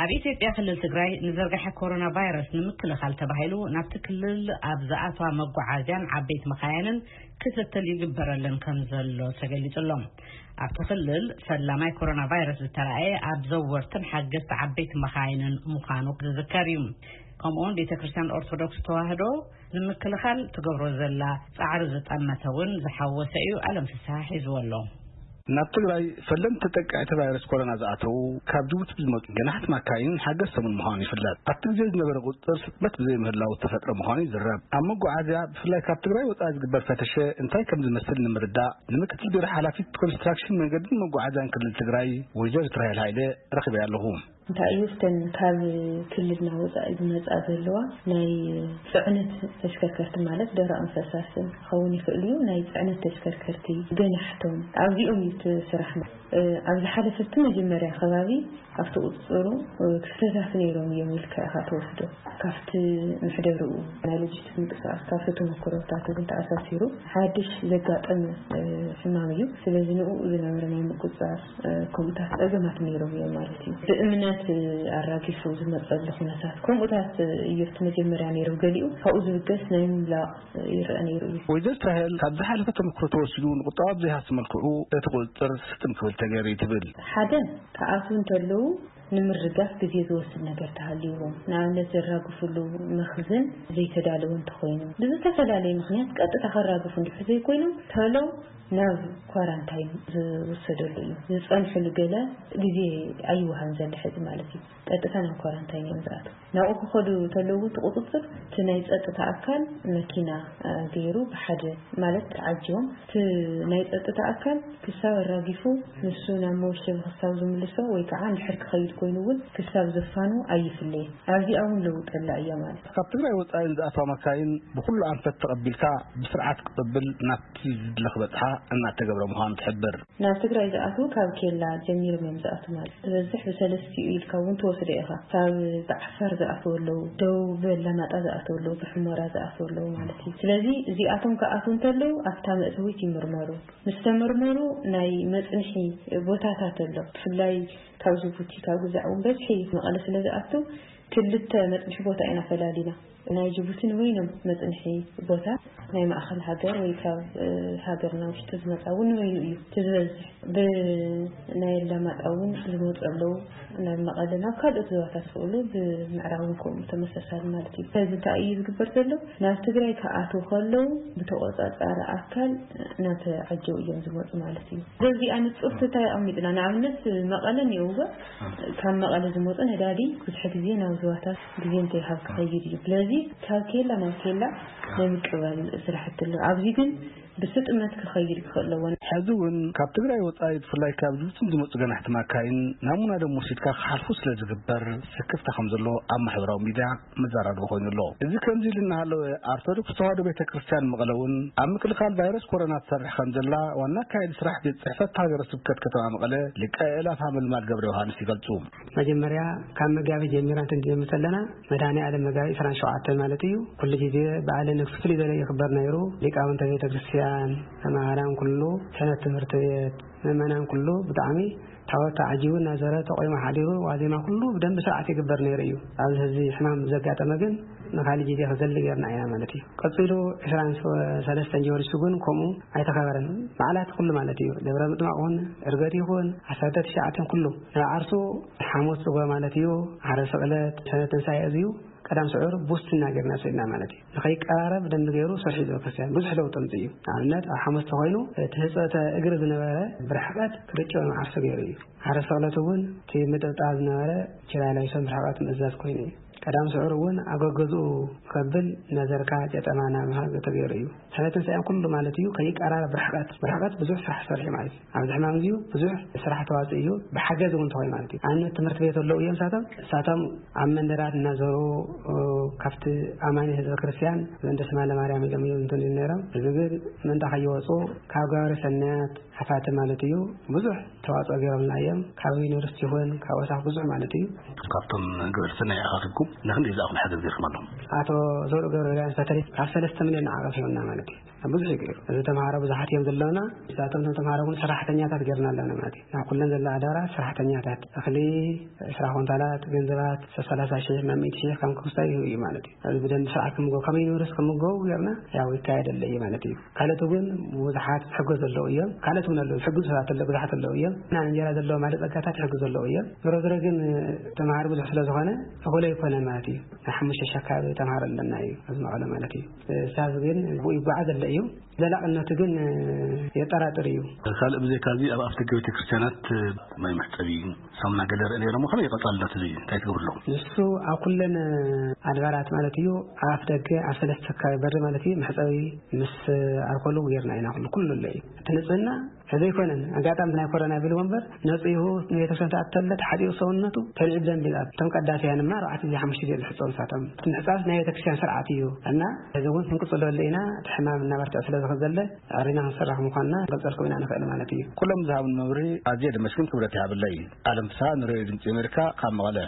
ኣብ ኢትዮጵያ ክልል ትግራይ ንዝርግሐ ኮሮና ቫይረስ ንምክልኻል ተባሂሉ ናብቲ ክልል ኣብ ዝኣትዋ መጓዓዝያን ዓበይቲ መኻይንን ክትትል ይግበረለን ከም ዘሎ ተገሊጹ ኣሎ። ኣብቲ ክልል ፈላማይ ኮሮና ቫይረስ ዝተራእየ ኣብ ዘወርትን ሓገዝቲ ዓበይቲ መኻይንን ምዃኑ ዝዝከር እዩ። ከምኡውን ቤተ ክርስቲያን ኦርቶዶክስ ተዋህዶ ንምክልኻል ትገብሮ ዘላ ጻዕሪ ዝጠመተ እውን ዝሓወሰ እዩ። ኣለም ፍስሓ ሒዝዎ ኣሎ። ናብ ትግራይ ፈለምቲ ተጠቃዕቲ ቫይረስ ኮሮና ዝኣተዉ ካብ ጅቡቲ ብዝመፁ ገናሕቲ ማካይን ሓገዝቶምን ምዃኑ ይፍለጥ። ኣብቲ ግዜ ዝነበረ ቁፅፅር ስጥመት ብዘይምህላው ዝተፈጥረ ምዃኑ ይዝረብ። ኣብ መጓዓዝያ ብፍላይ ካብ ትግራይ ወፃኢ ዝግበር ፈተሸ እንታይ ከም ዝመስል ንምርዳእ ንምክትል ቢሮ ሓላፊት ኮንስትራክሽን መንገድን መጓዓዝያን ክልል ትግራይ ወይዘሪት ራሄል ሃይለ ረኺበያ ኣለኹ። እንታይ እዩ እተን ካብ ክልልና ወፃኢ ዝመፃ ዘለዋ ናይ ፅዕነት ተሽከርከርቲ ማለት ደረቕን ፈሳስን ክኸውን ይኽእል እዩ። ናይ ፅዕነት ተሽከርከርቲ ገናሕቶም ኣብዚኦም እዩ እቲ ስራሕ። እ፣ ኣብ ዝሓለፈ እቲ መጀመርያ ከባቢ ኣብቲ ቁፅፅሩ እ፣ ክስተታት ነይሮም እዮም ኢልካ ኢኻ ትወስዶ። ካብቲ ምሕደርኡ ናይ ሎጂስቲክስ ምንቅስቃስ ካብቲ ተመክሮታት እውን ተኣሳሲሩ ሓድሽ ዘጋጠመ እ፣ ሕማም እዩ። ስለዚ ንኡ ዝነበረ ናይ ምቁፅፃር እ፣ ከምኡታት ፀገማት ነይሮም እዮም ማለት እዩ። ብእምነት እ፣ ኣራጊፉ ዝመፀሉ ኩነታት ከምኡታት እ፣ እዩ እቲ መጀመርያ ነይሩ። ገሊኡ ካብኡ ዝብገስ ናይ ምምላቕ እ፣ ይረአ ነይሩ እዩ። ወይዘር እስራኤል ካብ ዝሓለፈ ተመክሮ ተወሲዱ ንቁጠባ ብዘይሃሲ መልክዑ እቲ ቁፅፅር ስጥም ክብል ተገይሩ እዩ ትብል። ሓደ ክኣትዉ እንተለዉ ንምርጋፍ ግዜ ዝወስድ ነገር ተሃልይዎም፣ ንኣብነት ዘራግፍሉ መኽዝን ዘይተዳለወ እንተኾይኑ፣ ብዝተፈላለየ ምኽንያት ቀጥታ ከራግፉ እንድሕር ዘይኮይኖም፣ ተሎ ናብ ኳራንታይን ዝውሰደሉ እዩ። ዝጸንሕሉ ገለ ግዜ ኣይወሃን ዘሎ ሕዚ ማለት እዩ። ቀጥታ ናብ ኳራንታይን እዮም ዝኣትዉ። ናብኡ ክኸዱ ተለዉ እቲ ቁጽጽር እቲ ናይ ጸጥታ ኣካል መኪና፣ እ፣ ገይሩ ብሓደ ማለት ተዓጅቦም እቲ ናይ ጸጥታ ኣካል ክሳብ ኣራጊፉ ንሱ ናብ መወሸቢ ክሳብ ዝምልሶ ወይ ከዓ እንድሕር ክኸይድ ኮይኑ እውን ክሳብ ዘፋኑ ኣይፍለየን። ኣብዚኣ እውን ለውጢ ኣላ እያ ማለት እዩ። ካብ ትግራይ ወፃኢ ንዝኣትዋ ማካይን ብኩሉ ኣንፈት ተቐቢልካ ብስርዓት ክቕብል ናብቲ ዝድለ ክበፅሓ እናተገብረ ምዃኑ ትሕብር። ናብ ትግራይ ዝኣትዉ ካብ ኬላ ጀሚሮም እዮም ዝኣትዉ ማለት እዩ። ዝበዝሕ ብሰለስቲኡ ኢልካ እውን ትወስዶ ኢኻ። ካብ ብዓፋር ዝኣትዉ ኣለዉ፣ ደቡብ ኣላማጣ ዝኣትዉ ኣለዉ፣ ብሑመራ ዝኣትዉ ኣለዉ ማለት እዩ። ስለዚ እዚኣቶም ክኣትዉ እንተለዉ ኣብታ መእተዊት ይምርመሩ። ምስ ተመርመሩ ናይ መጽንሒ ቦታታት ኣሎ። ብፍላይ ካብ ጅቡቲ፣ ካብ ግዛዕ እውን በዝሒ መቐለ ስለ ዝኣቱ ክልተ መጽንሒ ቦታ ኢና ፈላሊና። ናይ ጅቡቲ ንበይኖም መጽንሒ ቦታ፣ ናይ ማእኸል ሃገር ወይ ካብ፣ እ፣ ሃገርና ውሽጢ ዝመጻ እውን ንበይኑ እዩ እቲ ዝበዝሕ። ብናይ ኣላማጣ እውን ዝመጹ ኣለዉ። ናብ መቐለ፣ ናብ ካልኦት ዞባታት ዝኽእሉ ብምዕራብ እውን ከምኡ ተመሳሳሊ ማለት እዩ። ስለዚ እንታይ እዩ ዝግበር ዘሎ? ናብ ትግራይ ክኣትዉ ከለዉ ብተቆጻጻሪ ኣካል እናተዓጀቡ እዮም ዝመጹ ማለት እዩ። በዚኣ ንጹር ትታይ ኣቐሚጥና። ንኣብነት መቐለ እኒኦ እወ፣ ካብ መቐለ ዝመጹ ነዳዲ ብዙሕ ግዜ ናብ ዞባታት ግዜ እንተይሃብ ክኸይድ እዩ። ስለዚ ካብ ኬላ ናብ ኬላ ናይ ምቅባል ስራሕቲ ኣሎ። ኣብዚ ግን ብስጥመት ክኸይድ ክኽእል ኣለዎ። ሕዚ እውን ካብ ትግራይ ወፃኢ ብፍላይ ካብ ጅቡትን ዝመፁ ገናሕቲ ማካይን ናሙና ደም ወሲድካ ክሓልፉ ስለ ዝግበር ስክፍታ ከም ዘሎ ኣብ ማሕበራዊ ሚድያ መዘራረቢ ኮይኑ ኣሎ። እዚ ከምዚ ኢሉ እናሃለወ ኣርቶዶክስ ተዋህዶ ቤተ ክርስቲያን መቐለ እውን ኣብ ምክልኻል ቫይረስ ኮሮና ትሰርሕ ከም ዘላ ዋና ኣካያዲ ስራሕ ቤት ፅሕፈት ሃገረ ስብከት ከተማ መቐለ ሊቀ ኣእላፍ ሃመልማል ገብረ ዮሃንስ ይገልፁ። መጀመርያ ካብ መጋቢት ጀሚራ እንትንጀምር ዘለና መድኃኔ ዓለም መጋቢት ዕስራን ሸውዓተን ማለት እዩ። ኩሉ ግዜ በዓለ ንግስ ፍልይ ዝበለ ይኽበር ነይሩ። ሊቃውንተ ቤተ ክርስቲያን፣ መማህራን ኩሉ፣ ሰንበት ትምህርቲ ቤት፣ ምእመናን ኩሉ ብጣዕሚ ታቦት ተዓጂቡ እናዘረ ተቆይሙ ሓዲሩ ዋዜማ ኩሉ ብደንቢ ስርዓት ይግበር ነይሩ እዩ። ኣብዚ ሕዚ ሕማም ዘጋጠመ ግን ንኻሊእ ግዜ ክዘሊ ጌርና ኢና ማለት እዩ። ቀጺሉ ዕስራን ሰለስተን ጀመሪሱ ግን ከምኡ ኣይተኸበረን። በዓላት ኩሉ ማለት እዩ። ደብረ ምጥማቕ ይኹን፣ ዕርገት ይኹን፣ ዓሰርተ ትሽዓተን ኩሉ። ናብ ዓርሱ ሓሙስ ጽጎ ማለት እዩ። ዓርቢ ስቕለት፣ ሰንበት ትንሳኤ እዚዩ ቀዳም ስዑር ቡስትና ጌርና ሰዲና ማለት እዩ። ንኸይቀራረብ ደንቢ ገይሩ ሰርሑ እዩ ዘሎ ክርስቲያን። ብዙሕ ለውጢ ኣምጺኡ እዩ። ንኣብነት ኣብ ሓሙስ ተኾይኑ እቲ ህጽበተ እግሪ ዝነበረ ብርሕቐት ክርጭዮ ንዓርሱ ገይሩ እዩ። ዓርቢ ስቕለት እውን እቲ ምጥብጣብ ዝነበረ ችላ ለቢሶም ብርሕቐት ምእዛዝ ኮይኑ እዩ። ቀዳም ስዑር እውን ኣብ ገገዝኡ ከብል ነዘርካ፣ ጨጠማ ናብ ምሃብ ተገይሩ እዩ። ሰንበት ትንሳኤን ኩሉ ማለት እዩ ከይቀራረብ ብርሕቐት፣ ብርሕቐት ብዙሕ ስራሕ ሰሪሑ ማለት እዩ። ኣብዚ ሕማም እዚዩ ብዙሕ ስራሕ ተዋፅኡ እዩ። ብሓገዝ እውን ተኾይኑ ማለት እዩ። ኣብነት ትምህርቲ ቤት ኣለዉ እዮም እሳቶም፣ እሳቶም ኣብ መንደራት እናዞሩ፣ እ፣ ካብቲ ኣማኒ ህዝበ ክርስቲያን ምእንተ ስማ ለማርያም ኢሎም እዮም እንትን ነይሮም። እዚ ግን ምእንታ ከይወፁ ካብ ገባሪ ሰናያት ሓፋቲ ማለት እዩ። ብዙሕ ተዋፅኦ ገይሮምና እዮም። ካብ ዩኒቨርሲቲ ይኹን ካብ ወሳኽ ብዙሕ ማለት እዩ። ካብቶም ግብረ ሰናይ ኣኻኺብኩም ንክንደይ ዝኣኽሉ ሓገዝ ገይርኩም ኣለኹም? ኣቶ ዘውዱ ገብረልያን በተለይ ካብ ሰለስተ ሚልዮን ንዓቐብ ሂቦምና ማለት እዩ። ብዙሕ እዩ ገይሩ። እዚ ተምሃሮ ብዙሓት እዮም ዘለውና። እዛቶም እቶም ተምሃሮ እውን ሰራሕተኛታት ገይርና ኣለና ማለት እዩ። ናብ ኩለን ዘለዋ ኣድባራት ሰራሕተኛታት እኽሊ ዕስራ ኮንታላት፣ ገንዘባት ሰላሳ ሺሕ ናብ ሚእቲ ሺሕ ከም ክስታይ እዩ ማለት እዩ። እዚ ብደንብ ስርዓት ክምገቡ፣ ከም ዩኒቨርሲቲ ክምገቡ ገይርና ያው ይካየደለ እዩ ማለት እዩ። ካልኦት እውን ብዙሓት ዝሕገዙ ዘለዉ እዮም። ካልኦት እውን ኣለዉ፣ ዝሕግዙ ሰባት ኣለዉ፣ ብዙሓት ኣለዉ እዮም። እና እንጀራ ዘለዎም ሓደ ጸጋታት ይሕግዙ ዘለዉ እዮም። ዞሮ ዞሮ ግን ተምሃሮ ብዙሕ ስለ ዝኾነ እኹል ኣይኮነን ማለት እዩ። ናይ ሓሙሽተ ሺሕ ኣካባቢ ተምሃሮ ኣለና እዩ ኣብዚ መቐለ ማለት እዩ። ሳብ ግን ብኡ ይጓዓዝ ኣሎ እዩ። ዘላቕነቱ ግን የጠራጥር እዩ። ካልእ ብዘይካ እዚ ኣብ ኣፍደገ ቤተ ክርስቲያናት ማይ መሕጸቢ፣ ሳሙና ገለ ርእ ነይሮም። ከመይ ቀጻልነት እዚ እንታይ ትገብርሎም? ንሱ ኣብ ኩለን ኣድባራት ማለት እዩ፣ ኣብ ኣፍ ደገ ኣብ ሰለስተ ከባቢ በሪ ማለት እዩ፣ መሕጸቢ ምስ ኣልኮሉ ጌርና ኢና። ኩሉ ኩሉ ኣሎ እዩ። እቲ ንጽህና እዚ ኣይኮነን፣ ኣጋጣሚ ናይ ኮሮና ቢሉ እምበር ነጺሁ ንቤተክርስትያን ተኣተለ ተሓጺቡ ሰውነቱ ተልዒ ብደንብ ይልኣብ። እቶም ቀዳስያን ድማ ኣርባዕተ ግዜ ሓሙሽተ ግዜ ዝሕጸቡ ንሳቶም። እቲ ምሕጻብ ናይ ቤተክርስትያን ስርዓት እዩ እና እዚ እውን ክንቅጽሎ ኣለና። እቲ ሕማም እናበርትዐ ስለ ዝኸድ ዘለ ኣሪና ክንሰርሕ ምዃንና ክንገልጸልኩም ኢና ንኽእል ማለት እዩ። ኩሎም ዝሃብን መብርሂ ኣዝየ ደመስግን ክብረት ይሃበለይ። ኣለም ፍስሃ ንሬድዮ ድምፂ ኣሜሪካ ካብ መቐለ።